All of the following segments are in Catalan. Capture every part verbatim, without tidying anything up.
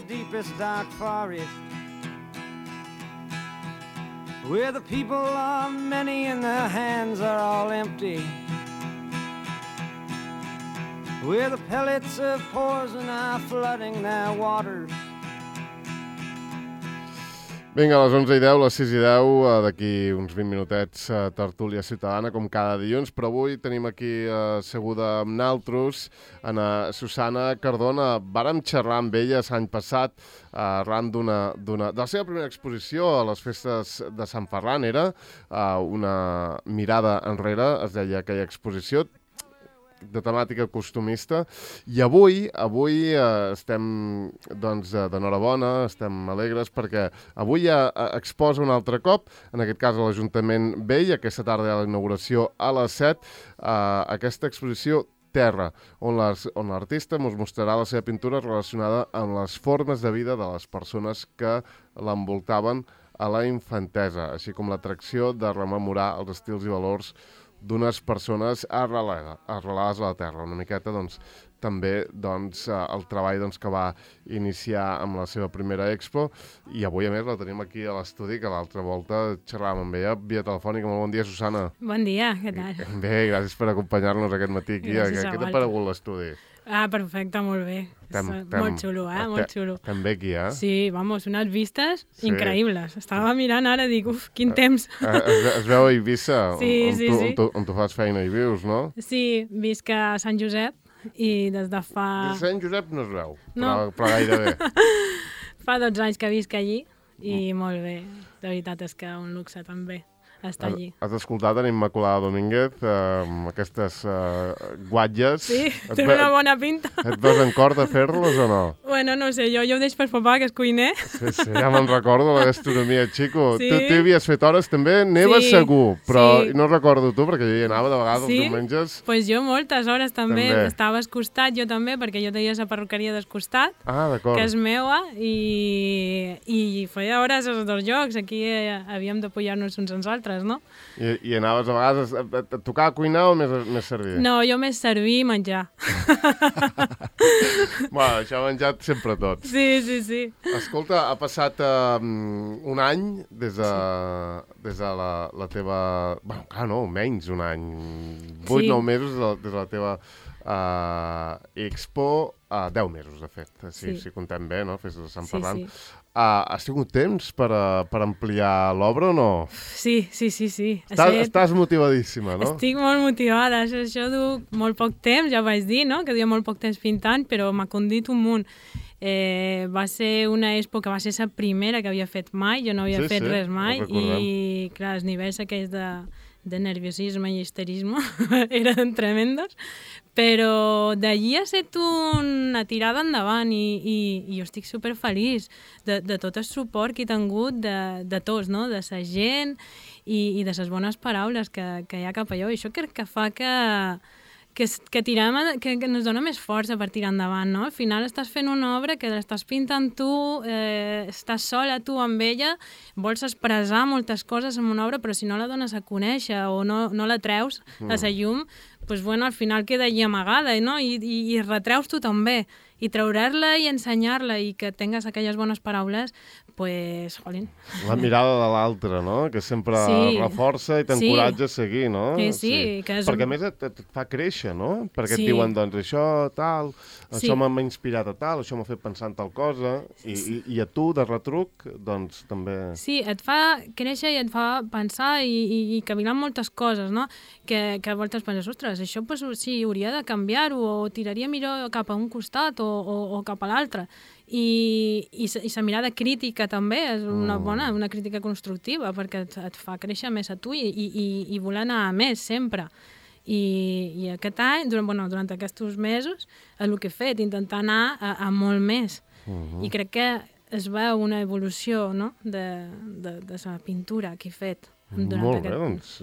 the deepest dark forest, where the people are many and their hands are all empty, where the pellets of poison are flooding their waters. Vinga, a les onze i deu, les sis i deu, d'aquí uns vint minutets, tertúlia ciutadana, com cada dilluns, però avui tenim aquí asseguda amb naltros Ana Susana Cardona. Vàrem xerrar amb ella l'any passat arran d'una, d'una, de la seva primera exposició a les festes de Sant Ferran. Era una mirada enrere, es deia aquella exposició, de temàtica costumista, i avui avui eh, estem doncs d'enhorabona, estem alegres perquè avui ja exposa un altre cop, en aquest cas a l'Ajuntament Vell, aquesta tarda hi ha la inauguració a les set, eh, aquesta exposició Terra, on l'artista ens mostrarà la seva pintura relacionada amb les formes de vida de les persones que l'envoltaven a la infantesa, així com l'atracció de rememorar els estils i valors d'unes persones arrelades, arrelades a la terra. Una miqueta, doncs, també doncs, el treball doncs, que va iniciar amb la seva primera expo, i avui, a més, la tenim aquí a l'estudi, que l'altra volta xerràvem amb ella via telefònica. Molt bon dia, Susana. Bon dia, què tal? Bé, gràcies per acompanyar-nos aquest matí aquí. Gràcies a Què t'ha paregut l'estudi? Ah, perfecte, molt bé. Tem, tem, molt xulo, eh? Molt xulo. També aquí, eh? Sí, vamos, unes vistes sí. increïbles. Estava mirant ara, dic, uf, quin temps. Es, es veu a Eivissa, sí, on, sí, tu, sí. on, tu, on tu fas feina i vius, no? Sí, visc a Sant Josep i des de fa... Des de Sant Josep no es veu, no. però, però gairebé. Fa dotze anys que visc allí i mm. molt bé. La veritat és que un luxe també estar allí. Has escoltat en Immaculada Domínguez eh, amb aquestes eh, guatlles? Sí, té una bona pinta. Et veus en cor de fer-les o no? Bueno, no sé, jo, jo ho deixo per papà, que és cuiner. Sí, sí, ja me'n recordo, la gastronomia, xico. Sí. Tu, tu havies fet hores també, neva sí, segur, però sí. no recordo tu, perquè jo hi anava de vegades sí? els diumenges. Doncs pues jo moltes hores també. també. Estava al costat, jo també, perquè jo tenia la perruqueria del costat, ah, que és meua, i, i feia hores als dos jocs. Aquí eh, havíem d'apoyar-nos uns als altres, no? I, i anaves a vegades a, a, a tocar a cuinar o més, més servir? No, jo més servir i menjar. Bueno, això ha menjat sempre tots. Sí, sí, sí. Escolta, ha passat um, un any des de, sí. des de la, la teva... Bueno, clar, no, menys un any. Vuit, sí. nou mesos des de, des de la teva uh, expo. Uh, deu mesos, de fet, si, sí. si contem bé, no? Festes de Sant sí, Ferran. Sí. Uh, has tingut temps per, uh, per ampliar l'obra o no? Sí, sí, sí, sí. Estàs, set... estàs motivadíssima, no? Estic molt motivada. Això, això du molt poc temps, ja vaig dir, no? Que duia molt poc temps pintant, però m'ha condit un munt. Eh, va ser una expo que va ser la primera que havia fet mai, jo no havia sí, fet sí, res mai, i clar, els nivells aquells de, de nerviosisme i histerisme eren tremendos, però d'allí ha estat una tirada endavant i, i, i jo estic superfeliç de, de tot el suport que he tingut de, de tots, no? De la gent i, i de les bones paraules que, que hi ha cap allò, i això crec que fa que Que, que, tirem, que, que ens dona més força per tirar endavant, no? Al final estàs fent una obra que l'estàs pintant tu, eh, estàs sola tu amb ella, vols expressar moltes coses en una obra, però si no la dones a conèixer o no, no la treus mm. a la llum, pues, bueno, al final queda allí amagada, no? I, i, i retreus tu també. I treure-la i ensenyar-la i que tingues aquelles bones paraules, pues, jolín. La mirada de l'altre, no? Que sempre sí. reforça i t'encoratja sí. a seguir, no? Sí, sí. sí. Que és... Perquè a més et, et fa créixer, no? Perquè sí. et diuen, doncs, això, tal, sí. això m'ha inspirat a tal, això m'ha fet pensar en tal cosa, i, sí. i, i a tu, de retruc, doncs, també... Sí, et fa créixer i et fa pensar i, i, i cavilar moltes coses, no? Que, que a voltes penses, ostres, això, pues, sí, hauria de canviar-ho, o tiraria millor cap a un costat, o O, o cap a l'altre. I, i, i la mirada crítica també és una bona, una crítica constructiva, perquè et, et fa créixer més a tu i, i, i voler anar a més sempre. I, i aquest any, durant, bueno, durant aquests mesos, és el que he fet, intentar anar a, a molt més. Uh-huh. I crec que es veu una evolució, no? de, de, de la pintura que he fet. Molt bé, doncs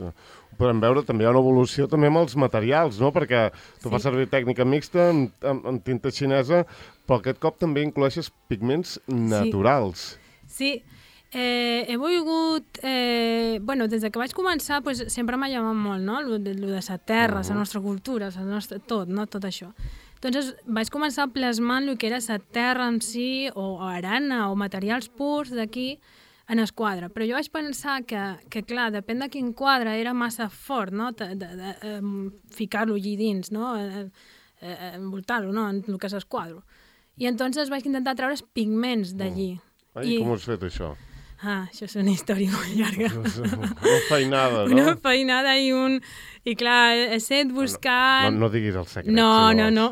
podem veure també hi ha una evolució també amb els materials, no? Perquè tu sí. fas servir tècnica mixta amb, amb, amb tinta xinesa, però aquest cop també incloeixes pigments naturals. Sí, sí. Eh, he volgut... Eh, bueno, des que vaig començar pues, sempre m'ha llamat molt, no? Lo de, lo de la terra, la uh-huh. nostra cultura, la nostra, tot, no? Tot això. Entonces vaig començar plasmant el que era la terra en si, o arena, o materials purs d'aquí, en el quadre. Però jo vaig pensar que, que clar, depèn de quin quadre, era massa fort, no?, de, de, de, de ficar-lo allí dins, no?, eh, eh, envoltar-lo, no?, en el que és el quadre. I entonces vaig intentar treure els pigments d'allí. Mm. I com ho has fet, això? Ah, això és una història molt llarga. Una feinada, no? Una feinada i un... I clar, he estat buscant... No, no, no diguis el secret. No, si no, no.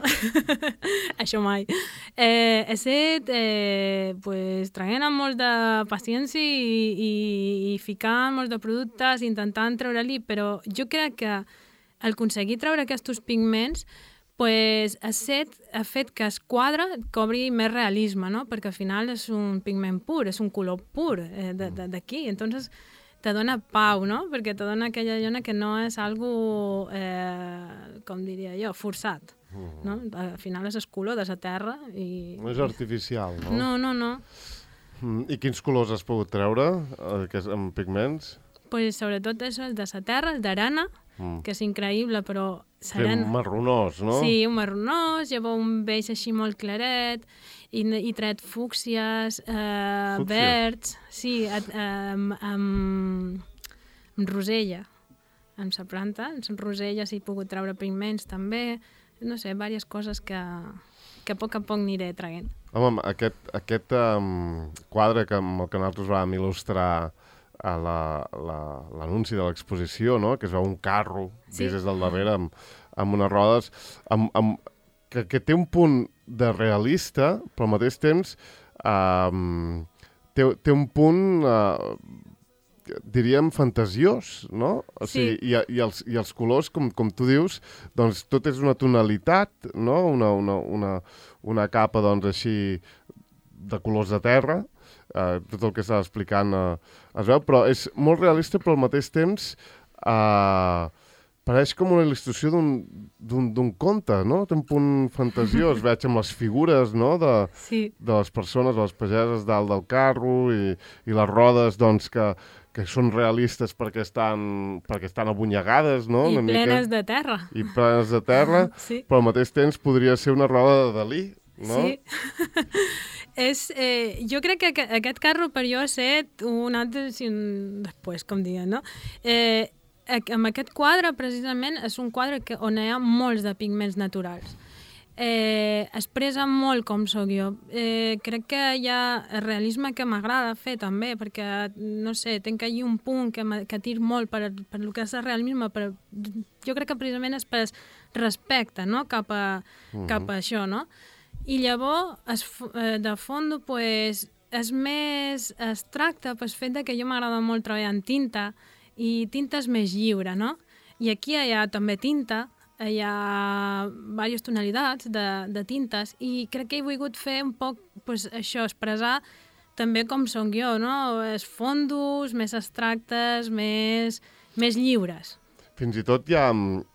Això mai. Eh, he estat eh, pues, traient amb molt de paciència i, i, i ficant molts de productes, intentant treure-li, però jo crec que al aconseguir treure aquests pigments pues, ha, set, ha fet que es quadre cobri més realisme, no? Perquè al final és un pigment pur, és un color pur eh, d'aquí. Entonces te dona pau, no? Perquè te dona aquella lluna que no és algo, eh, com diria jo, forçat. No? Al final és el color de la terra. I... No és artificial, no? No, no, no. I quins colors has pogut treure amb pigments? Pues, sobretot és el de la terra, el d'arena, mm. que és increïble, però... Serà... Un marronós, no? Sí, un marronós, llavors un beix així molt claret, i, i tret fúcsies, eh, verds, sí, eh, amb, amb, amb rosella, amb la planta, amb rosella s'hi he pogut treure pigments també, no sé, diverses coses que, que a poc a poc aniré traient. Home, aquest, aquest um, quadre que, amb el que nosaltres vam il·lustrar a l'anunci la, la, de l'exposició, no?, que es veu un carro sí. vist des del darrere amb, amb unes rodes, amb, amb, que, que té un punt de realista, però al mateix temps um, té, té un punt, uh, diríem, fantasiós, no? O sigui, sí. i, i, els, i els colors, com, com tu dius, doncs tot és una tonalitat, no? Una, una, una, una capa, doncs, així de colors de terra, Uh, tot el que estava explicant uh, es veu, però és molt realista, però al mateix temps uh, pareix com una il·lustració d'un conte, no? Té un punt fantasiós, veig amb les figures, no?, de, sí. de les persones, de les pageses dalt del carro i, i les rodes, doncs, que, que són realistes perquè estan, perquè estan abunyegades, no? I una plenes mica, de terra. I plenes de terra, sí. però al mateix temps podria ser una roda de Dalí, no? Sí. És, eh, jo crec que aquest carro per jo ha estat un altre si un després, com diuen, no? Eh, amb aquest quadre, precisament, és un quadre que, on hi ha molts de pigments naturals. Eh, expressa molt com sóc jo. Eh, crec que hi ha el realisme que m'agrada fer també, perquè, no sé, tenc allí un punt que, que tir molt per, per el que és el realisme, però jo crec que precisament és per respecte, no?, cap a, uh-huh. cap a això, no? I llavors, es, de fons, pues, és més abstracte pel fet que jo m'agrada molt treballar en tinta, i tinta és més lliure, no? I aquí hi ha també tinta, hi ha diverses tonalitats de, de tintes, i crec que he volgut fer un poc pues, això, expressar també com som jo, no? Els fondos més abstractes, més, més lliures. Fins i tot ja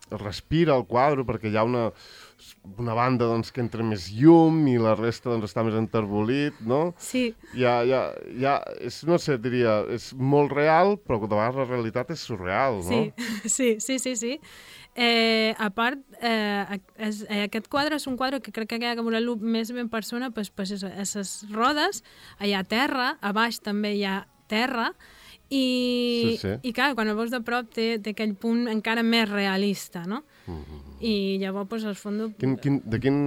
respira el quadre, perquè hi ha una, una banda doncs, que entra més llum i la resta doncs, està més enterbolit, no? Sí. Ja, ja, ja, és, no sé, diria, és molt real, però de vegades la realitat és surreal, no? Sí, sí, sí, sí. sí. Eh, a part, eh, és, eh, aquest quadre és un quadre que crec que ha que veure-lo més ben persona, pues, pues, és, és les rodes, hi ha terra, a baix també hi ha terra, i, sí, sí. i clar, quan el veus de prop té, té aquell punt encara més realista, no? Mm-hmm. I llavors, pues, el fons... Quin, quin, de, quin,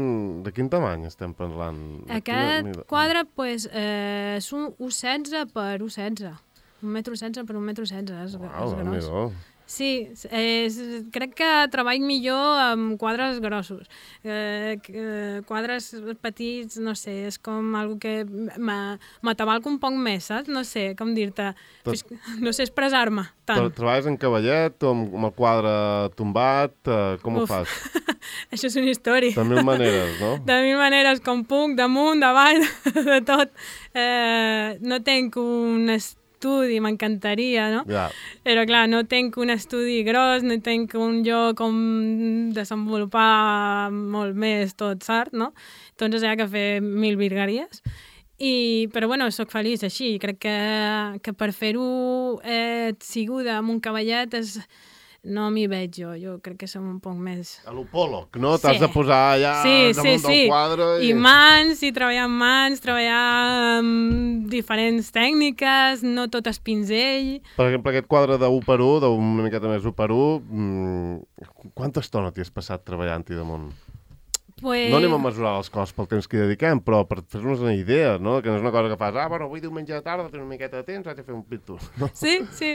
de quin tamany estem parlant? Aquest quina... quadre, pues, eh, és un u setze per u setze. Un metro setze per un metro setze, és, Uau, és gros. Amigo. Sí, és, crec que treball millor amb quadres grossos. Eh, quadres petits, no sé, és com algo que m'atabalca un poc més, saps? No sé, com dir-te, Tot... no sé expressar-me tant. Treballes en cavallet o amb, amb el quadre tombat? Eh, com Uf. Ho fas? Això és una història. De mil maneres, no? De mil maneres, com puc, damunt, davall, de tot. Eh, no tenc un estudi, m'encantaria, no? Yeah. Però, clar, no tenc un estudi gros, no tenc un lloc on desenvolupar molt més tot, saps, no? Entonces hi ha que fer mil virgueries. I, però, bueno, soc feliç així. Crec que, que per fer-ho eh, siguda amb un cavallet és, no m'hi veig jo, jo crec que som un poc més... A l'opòleg, no? T'has Sí. de posar allà Sí, damunt sí, sí. del quadre i... I mans, i treballar amb mans, treballar amb diferents tècniques, no tot és pinzell. Per exemple, aquest quadre de u per u, d'una miqueta més u per u, mmm, quanta estona t'hi has passat treballant-hi damunt? Pues... No anem a mesurar les coses pel temps que hi dediquem, però per fer-nos una idea, no? Que no és una cosa que fas, ah, bueno, avui diumenge de tarda, tinc una miqueta de temps, vaig a fer un pintor. No? Sí, sí,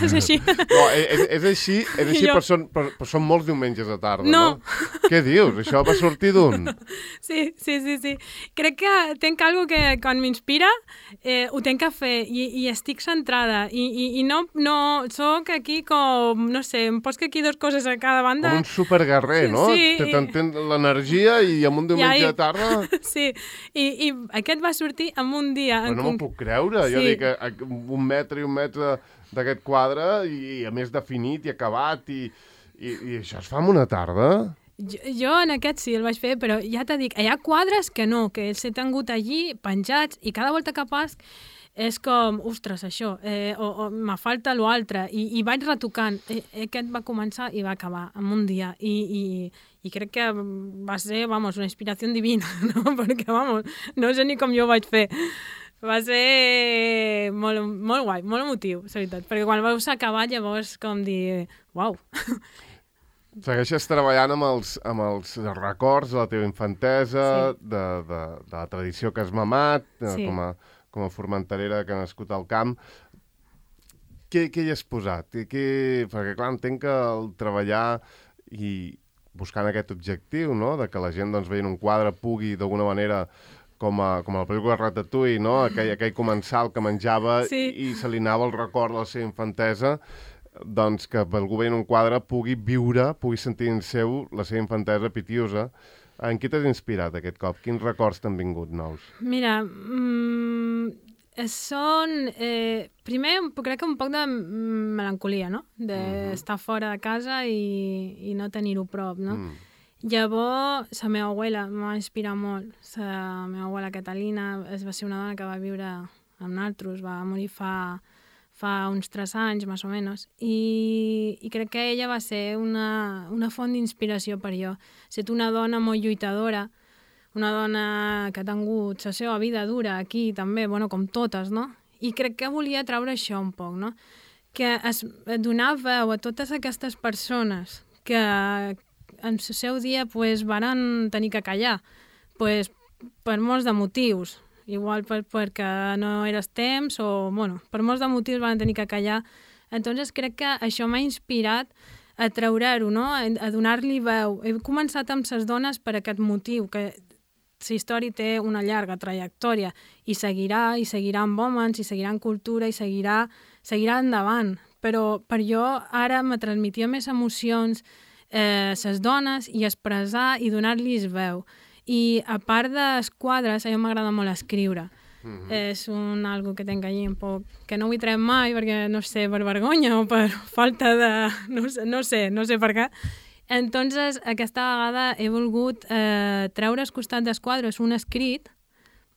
és així. No, és, és així, és així Jo- però, són, però, però són molts diumenges de tarda, No. no? Què dius? Això va sortir d'un? Sí, sí, sí, sí. Crec que tenc algo que quan m'inspira eh, ho tenc a fer i, i estic centrada i, i, i no, no soc aquí com, no sé, em pots que aquí dues coses a cada banda. Com un superguerrer, no? Sí, Te i- t'entén l'energia i amb un diumenge I- de tarda... Sí, i, i aquest va sortir en un dia. Però en no m'ho conc- puc creure. Jo Sí. dic, a, a, un metre i un metre d'aquest quadre i, i a més definit i acabat i, i, i això es fa en una tarda? Jo, jo en aquest sí el vaig fer, però ja t'he dit, hi ha quadres que no, que els he tingut allí penjats i cada volta que pas és com, ostres, això, eh, o, o me falta l'altre, i, i vaig retocant. Eh, aquest va començar i va acabar en un dia, i, i, i crec que va ser, vamos, una inspiració divina, no? Perquè, vamos, no sé ni com jo ho vaig fer. Va ser molt, molt guai, molt emotiu, la veritat, perquè quan veus acabar llavors com dir, uau. Segueixes treballant amb els, amb els records de la teva infantesa, Sí. de, de, de la tradició que has mamat, eh, Sí. com, a, com a formenterera que ha nascut al camp. Què, què hi has posat? I què... Perquè, clar, entenc que el treballar i buscant aquest objectiu, no?, de que la gent, doncs, veient un quadre pugui, d'alguna manera, com a, com a la pel·lícula Ratatouille, no?, aquell, aquell comensal que menjava Sí. i se li anava el record de la seva infantesa, doncs que algú veient un quadre pugui viure, pugui sentir en seu la seva infantesa pitiosa. En qui t'has inspirat aquest cop? Quins records t'han vingut nous? Mira, mm, són... Eh, primer, crec que un poc de mm, melancolia, no? D'estar fora de casa i, i no tenir-ho prop, no? Mm. Llavors, la meva abuela em va inspirar molt. La meva abuela Catalina es va ser una dona que va viure amb nosaltres, va morir fa, fa uns tres anys, més o menys, i, i crec que ella va ser una, una font d'inspiració per jo. Set una dona molt lluitadora, una dona que ha tingut la seva vida dura aquí també, bueno, com totes, no? I crec que volia treure això un poc, no? Que es donar veu a totes aquestes persones que en el seu dia pues, van tenir que callar, pues, per molts de motius, igual per, perquè no eres temps o, bueno, per molts de motius van tenir que callar. Entonces crec que això m'ha inspirat a treure-ho, no? A, a donar-li veu. He començat amb les dones per aquest motiu, que la història té una llarga trajectòria i seguirà, i seguirà amb homes, i seguirà en cultura, i seguirà, seguirà endavant. Però per jo ara me transmetia més emocions eh, les dones i expressar i donar-los veu. I a part dels quadres, a mi m'agrada molt escriure. Mm-hmm. És un algo que tenc allí un poc, que no vull treure mai perquè, no sé, per vergonya o per falta de... no sé, no sé, no sé per què. Entonces, aquesta vegada he volgut eh, treure al costat dels quadres un escrit,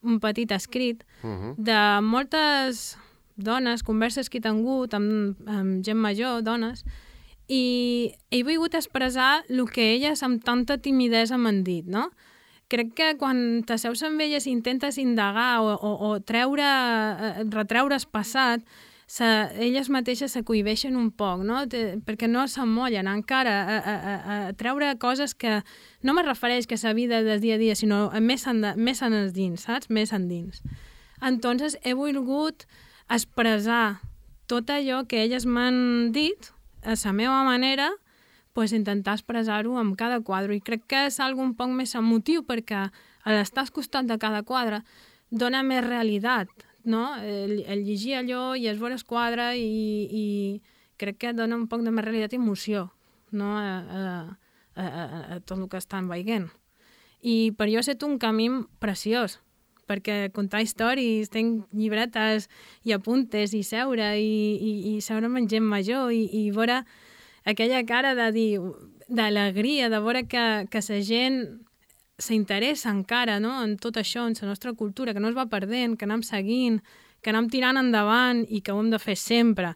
un petit escrit, Mm-hmm. de moltes dones, converses que he tingut amb, amb gent major, dones, i he volgut expressar el que elles amb tanta timidesa m'han dit, no? Crec que quan t'asseus amb elles i intentes indagar o, o, o treure, eh, retreure el passat, se, elles mateixes se cohibeixen un poc, no? Te, perquè no s'emmollen encara a, a, a, a treure coses que no me refereix que la vida del dia a dia, sinó més, en, més en els dins, saps? Més endins. Entonces he volgut expressar tot allò que elles m'han dit a la meva manera, pues, intentar expressar-ho amb cada quadre. I crec que és algo un poc més emotiu perquè a l'estar al costat de cada quadre dona més realitat, no? El, el llegir allò i es veure el quadre i, i crec que dona un poc de més realitat i emoció, no? a, a, a, a, a tot el que estan veient. I per jo ha estat un camí preciós, perquè contar històries, tenc llibretes i apuntes i seure i, i, i seure amb gent major i, i veure aquella cara de dir, d'alegria, de veure que, que la gent s'interessa encara, no?, en tot això, en la nostra cultura, que no es va perdent, que anem seguint, que anem tirant endavant i que ho hem de fer sempre.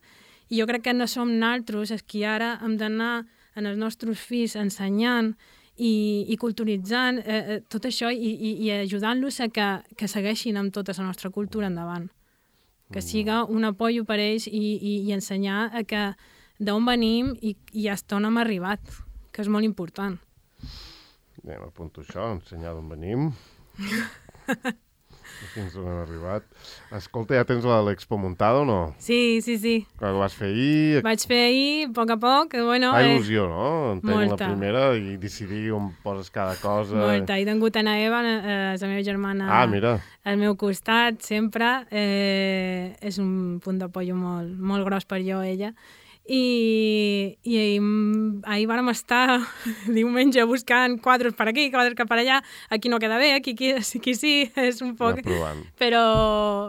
I jo crec que no som naltros els qui ara hem d'anar en els nostres fills ensenyant i, i culturitzant eh, tot això i, i, i ajudant-los a que, que segueixin amb tota la nostra cultura endavant. Que siga un apoyo per ells i, i, i ensenyar a que d'on venim i, i hasta on hem arribat, que és molt important. Bé, m'apunto això, ensenyar d'on venim. Fins on hem arribat. Escolta, ja tens l'Expo muntada o no? Sí, sí, sí. Que ho vas fer ahir... Vaig fer ahir, a poc a poc. Bueno, Fa il·lusió, eh, no? Entenc molta. La primera i decidir on poses cada cosa. Molta. He tingut a Eva, eh, la meva germana, ah, mira. al meu costat, sempre. Eh, és un punt d'apoyo molt, molt gros per jo, ella. I, i ahir vàrem estar diumenge buscant quadres per aquí, quadres per allà, aquí no queda bé, aquí, aquí, aquí sí, és un poc... Però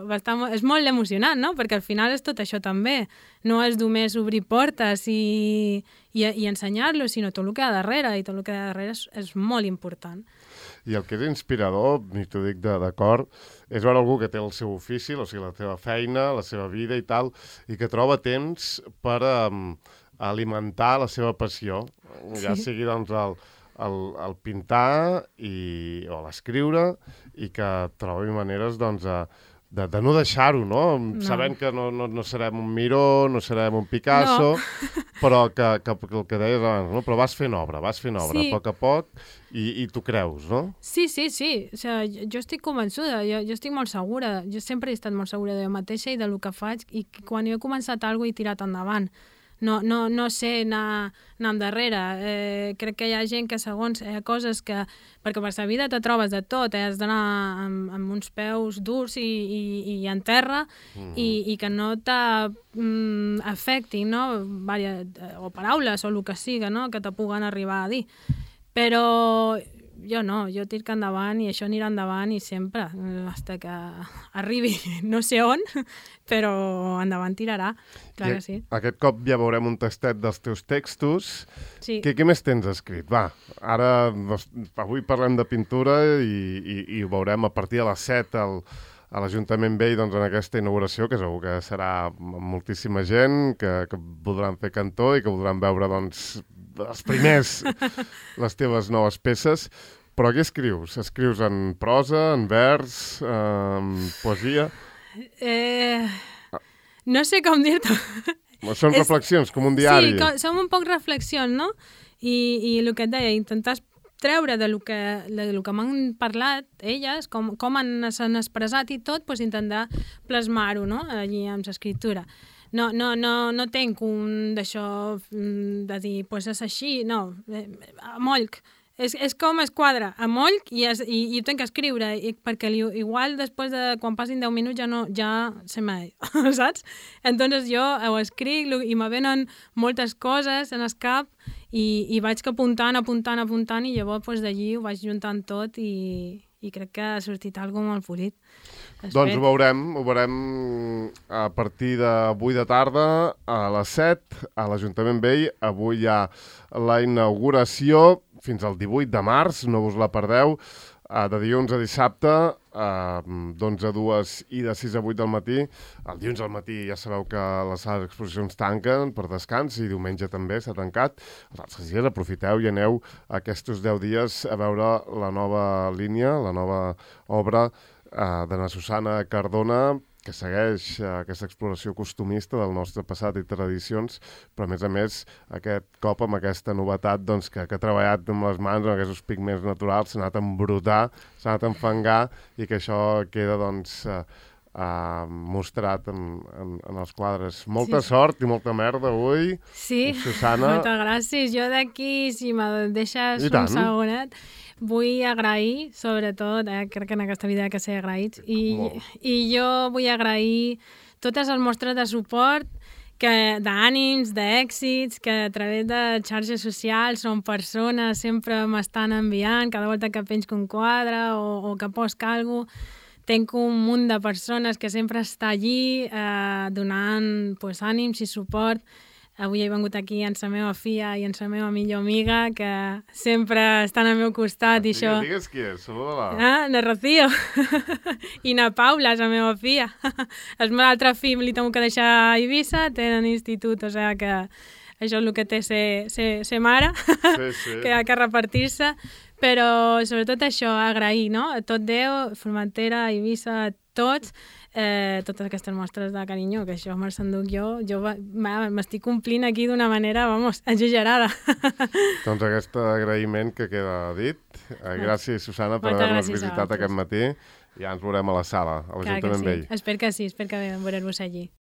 bastant, és molt emocionant, no? Perquè al final és tot això també. No és només obrir portes i, i, i ensenyar-lo, sinó tot el que hi ha darrere, i tot el que hi ha darrere és, és molt important. I el que és inspirador, i t'ho dic d'acord, és veure algú que té el seu ofici, o sigui, la seva feina, la seva vida i tal, i que troba temps per um, alimentar la seva passió, sí. Ja sigui doncs el, el, el pintar i, o l'escriure, i que trobi maneres doncs, a, de, de no deixar-ho, no? no? Sabent que no, no, no serem un Miró, no serem un Picasso, no. però que, que, que el que deies abans, no? Però vas fent obra, vas fent obra, sí. A poc a poc, i, i t'ho creus, no? Sí, sí, sí. O sigui, jo estic convençuda, jo, jo estic molt segura, jo sempre he estat molt segura de jo mateixa i del que faig, i quan jo he començat alguna cosa he tirat endavant. No, no, no sé anar, anar endarrere. Eh, crec que hi ha gent que segons hi ha coses que... Perquè per la vida te trobes de tot, eh? Has d'anar amb, amb uns peus durs i, i, i en terra mm-hmm. i, i que no t'afectin, no? Varia, o paraules o el que siga, no? Que te puguen arribar a dir. Però jo no, jo tirc endavant i això anirà endavant i sempre, fins que arribi no sé on, però endavant tirarà, clar que sí. Aquest cop ja veurem un tastet dels teus textos. Sí. Què, què més tens escrit? Va, ara, avui parlem de pintura i, i, i ho veurem a partir de les set al, a l'Ajuntament Vell, doncs, en aquesta inauguració, que segur que serà moltíssima gent, que, que voldran fer cantó i que voldran veure, doncs, els primers, les teves noves peces. Però què escrius? Escrius en prosa, en vers, en poesia? Eh, no sé com dir-t'ho. Són és... reflexions, com un diari. Sí, com, són un poc reflexions, no? I, i el que et deia, intentar treure de lo que, de lo que m'han parlat elles, com, com s'han expressat i tot, doncs intentar plasmar-ho, no? Allí amb l'escriptura. No, no, no, no tenc un d'això de dir, doncs pues és així, no, a molc. És, és com es quadra, a molc, i, es, i, i ho tenc que escriure, i, perquè li, igual després de, quan passin deu minuts ja no, ja se m'ha dit, saps? Entonces jo ho escric i me venen moltes coses en el cap i, i vaig apuntant, apuntant, apuntant, i llavors pues, d'allí ho vaig juntant tot i, i crec que ha sortit alguna cosa molt polit. Doncs ho veurem, ho veurem a partir d'avui de tarda a les set a l'Ajuntament Vell. Avui hi ha la inauguració fins al divuit de març, no us la perdeu, de dilluns a dissabte, d'onze a dues i de sis a vuit del matí. El dilluns al matí ja sabeu que les sales d'exposicions tanquen per descans i diumenge també s'ha tancat. Els altres dies aprofiteu i aneu aquests deu dies a veure la nova línia, la nova obra de na Susana Cardona, que segueix aquesta exploració costumista del nostre passat i tradicions, però a més a més aquest cop amb aquesta novetat doncs, que, que ha treballat amb les mans, amb aquests pigments naturals, s'ha anat a embrutar, s'ha anat a enfangar i que això queda doncs, uh, uh, mostrat en, en, en els quadres. Molta sí. sort i molta merda avui, sí. Susana. Moltes gràcies. Jo d'aquí, si me deixes un segonet, vull agrair, sobretot, eh, crec que en aquesta vida que ser agraïts, i, i jo vull agrair totes les mostres de suport, d'ànims, d'èxits, que a través de xarxes socials són persones, sempre m'estan enviant, cada volta que penjo un quadre o, o que posc alguna cosa, tenc un munt de persones que sempre està allí eh, donant pues, ànims i suport. avui he vengut aquí amb la meva filla i amb la meva millor amiga, que sempre estan al meu costat. I Digues, això... digues qui és, saluda-la. Ah, na Rocío. I na Paula, és la meva filla. El meu altre fill li tengo que deixar a Eivissa, tenen institut, o sigui que això és el que té ser, ser, ser mare, Sí, sí. que ha que repartir-se. Però sobretot això, agrair, no? A tot Déu, Formentera, Eivissa, a tots, eh, totes aquestes mostres de carinyo, que això me'ls enduc jo, jo m'estic complint aquí d'una manera, vamos, exagerada. Doncs aquest agraïment que queda dit. Eh, Gràcies, Susana, per Moltes haver-nos gràcies a visitat vosaltres. aquest matí. Ja ens veurem a la sala, a Clar que l'Ajuntament sí. Vell. Espero que sí, espero que veure-vos allí.